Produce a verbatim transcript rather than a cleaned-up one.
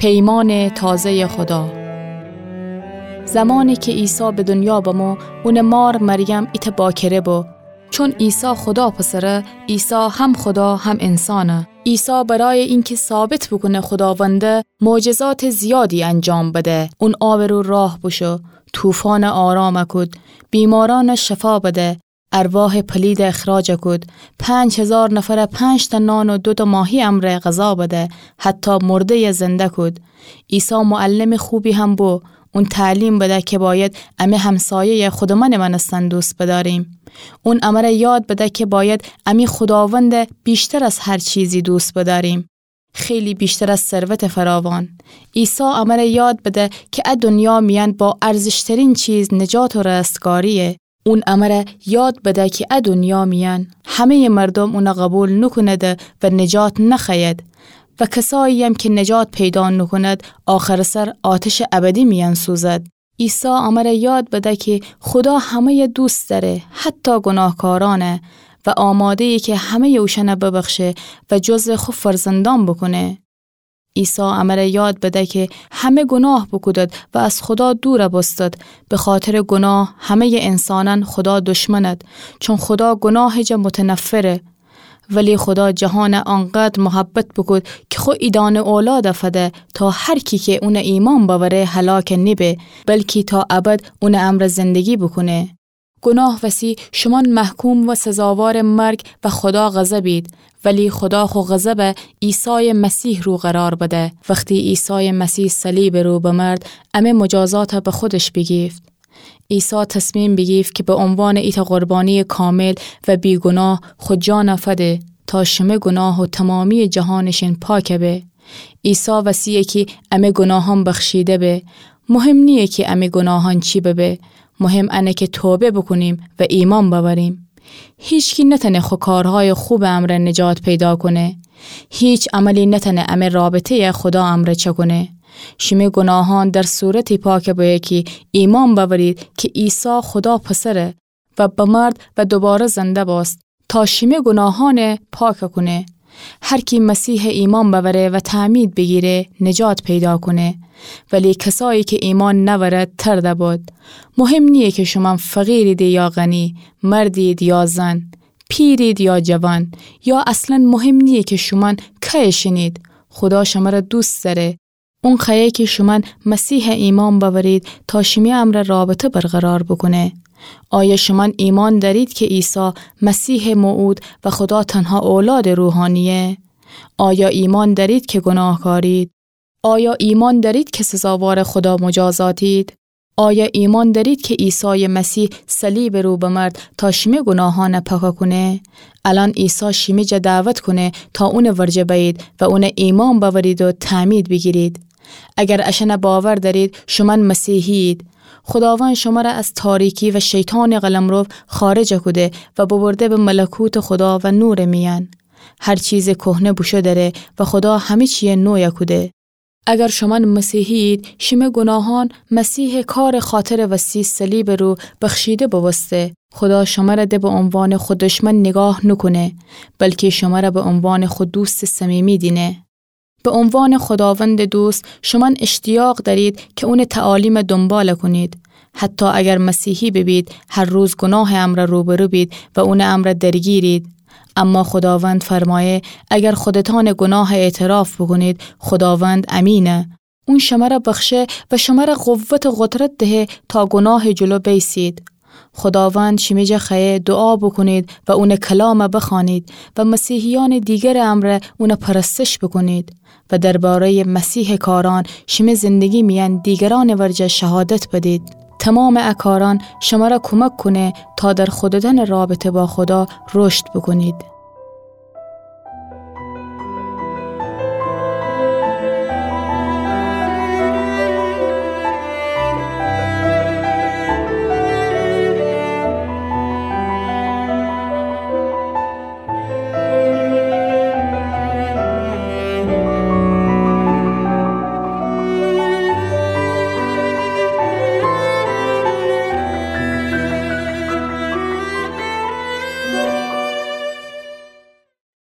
پیمانٚ تازه‌یٚ خودا. زمانی کی عیسی به دونیا بمو، اونٚ مار مریم ایتأ باکره بو. چون عیسی خودا پسره، عیسی هم خودا هم انسانه. عیسی برای اینکه ثابت بوکونه خوداونده، معجزاتٚ زیادی انجام بده. اون آبٚ رو راه بوشو، طوفانٚ آرام کود، بیمارأن شفا بده، ارواحٚ پلید اخراج کود، پنج هزار نفر پنج‌تأ نان و دوتأ ماهی امرأ غذا بده، حتی مرده‌ی زنده کود. عیسی معلمٚ خوبی هم بو. اون تعلیم بده که باید امی همسایه‌ی خودمأنٚ مأنستن دوست بداریم. اون امر یاد بده که باید امی خوداوند بیشتر از هر چیزی دوست بداریم. خیلی بیشتر از ثروت فراوان. عیسی امر یاد بده که ا دنیا میأن با ارزشترین چیز نجات و رستگاریه. اون امر یاد بده که ا دنیا میأن همه‌ی مردم اون قبول نوکونده و نجات نخوأید و کسایی‌یم که نجات پیدا نوکوند، آخرٚ سر آتشٚ ابدی میأن سوزد. عیسی امر یاد بده که خودا همه‌ی دوست دأره، حتی گناهکارأنه، و آماده‌یه که همه‌ی اوشأن ببخشه و جزو خو فرزندأن بوکونه. عیسی امر یاد بده که همه گناه بوکودد و از خودا دور بوستد، به خاطرٚ گناه همه‌ی انسانأن خودا دشمند، چون خودا گناهٚ جا متنفره. ولی خودا جهان آنقدر محبت بوکود که خو ایدأنه اولاد فده تا هر کی که اون ایمأن بأوره هلاک نیبه، بلکی تا ابد اون امر زندگی بوکونه. گناه وسی شومأن محکوم و سزاوارٚ مرگ و خودا غضبید، ولی خودا خو غضب عیسایٚ مسیح رو قرار بده. وختی عیسایٚ مسیح صلیبٚ رو بمرد، امه مجازات به خودش بیگیفت. عیسی تصمیم بیگیفت که به عنوانٚ ایتأ قربانیٚ کامل و بی‌گناه خو جان فده تا شمه گناه و تمامیٚ جهانٚ شین پاک به. عیسی وسیه کی امه گناهأن بخشیده به. مهم نییه کی امه گناهأن چی ببه، مهم انه که توبه بوکونیم و ایمأن بأوریم. هیچکی نتأنه خو کارهایٚ خوبٚ امرأ نجات پیدا کونه. هیچ عملی نتأنه امه رابطه‌یٚ خودا امرأ چأکونه. شیمه گناهأن در صورتی پاک بویه کی ایمأن بأورید که عیسی خودا پسره و بمرد و دوباره زنده بوست تا شیمه گناهأن پاک کونه. هر کی مسیح ایمأن بأوره و تعمید بیگیره، نجات پیدا کونه. ولی کسایی که ایمأن نأورد، ترده بد. مهم نییه که شومأن فقیرید یا غنی، مردید یا زن، پیرید یا جوان، یا اصلاً مهم نییه که شومأن کیٚ شینید. خودا شمره دوست دأره. اون خوأیه که شومأن مسیح ایمأن بأورید تا شیمی امرأ رابطه برقرار بوکونه. آیا شومأن ایمأن دأرید که عیسی مسیحٚ موعود و خودا تنها اولادٚ روحانییه؟ آیا ایمأن دأرید که گناهکارید؟ آیا ایمأن دأرید که سزاوارٚ خودا مجازاتید؟ آیا ایمأن دأرید که عیسایٚ مسیح صلیبٚ رو بمرد تا شیمه گناهأن پاک کونه؟ الأن عیسی شیمی جا دعوت کونه تا اونٚ ورجه بأیید و اون ایمأن بأورید و تعمید بیگیرید. اگر اشأن باور دأرید، شومأن مسیحیید. خوداوند شمره از تاریکی و شیطانٚ قلمرو خارج کوده و ببرده به ملکوتٚ خودا و نورٚ میأن. هر چیزٚ کهنه بوشو دره و خودا همه چیی نوی کوده. اگر شومأن مسیحیید، شیمه گناهأن مسیحٚ کارٚ خاطرٚ وستی صلیبٚ رو بخشیده بوبوسته. خودا شمره ده به عنوانٚ خو دشمن نیگاه نوکونه، بلکی شمره به عنوانٚ خو دوستٚ صمیمی دینه. به عنوانٚ خوداوندٚ دوست، شومأن اشتیاق دأرید که اونٚ تعالیم دونبال کونید. حتی اگر مسیحی ببید، هر روز گناهٚ امرأ روبرو بید و اونٚ امرأ درگیرید. اما خوداوند فرمایه، اگر خودتأن گناه اعتراف بوکونید، خوداوند امینه. اون شمره بخشه و شمره قوت و قدرت دهه تا گناهٚ جلو بیسید. خوداوند شیمی جا خوأیه دعا بوکونید و اونٚ کلام بخوأنید و مسیحیأنٚ دیگرٚ امرأ اون پرستش بوکونید و درباره‌یٚ مسیحٚ کارأن شیمی زندگی میأن دیگرأنٚ ورجه شهادت بدید. تومامٚ ا کارأن شمره کمک کونه تا در خودتأنٚ رابطه با خودا رشد بوکونید.